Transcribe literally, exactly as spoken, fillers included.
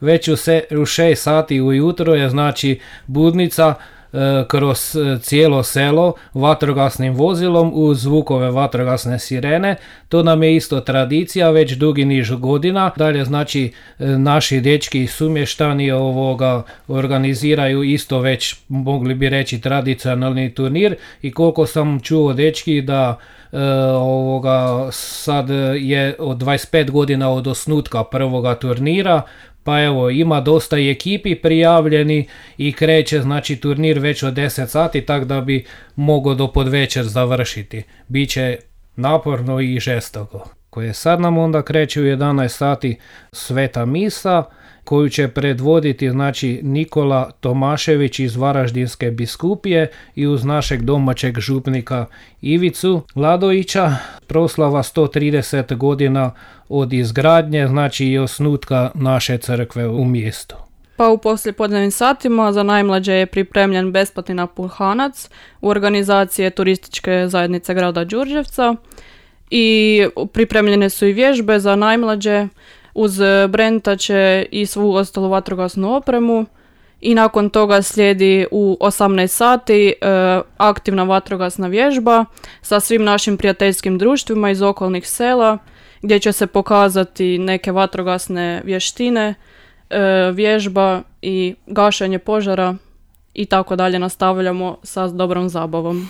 Već u, se, u šest sati ujutro je znači budnica e, kroz cijelo selo vatrogasnim vozilom uz zvukove vatrogasne sirene. To nam je isto tradicija već dugi niz godina. Dalje znači e, naši dečki sumještani ovoga organiziraju isto već, mogli bi reći, tradicionalni turnir i koliko sam čuo dečki da e, ovoga sad je od dvadeset pet godina od osnutka prvoga turnira. Pa evo, ima dosta i ekipi prijavljeni i kreće znači turnir već od deset sati, tako da bi mogao do podvečer završiti. Biće naporno i žestoko. Koje sad nam onda kreće u jedanaest sati sveta misa, koju će predvoditi znači Nikola Tomašević iz Varaždinske biskupije i uz našeg domaćeg župnika Ivicu Ladovića. Proslava sto trideset godina od izgradnje, znači i osnutka naše crkve u mjestu. Pa u poslijepodnevnim satima za najmlađe je pripremljen besplatni napuhanac u organizacije turističke zajednice grada Đurđevca i pripremljene su i vježbe za najmlađe uz brentače i svu ostalu vatrogasnu opremu. I nakon toga slijedi u osamnaest sati e, aktivna vatrogasna vježba sa svim našim prijateljskim društvima iz okolnih sela, gdje će se pokazati neke vatrogasne vještine, e, vježba i gašenje požara i tako dalje. Nastavljamo sa dobrom zabavom.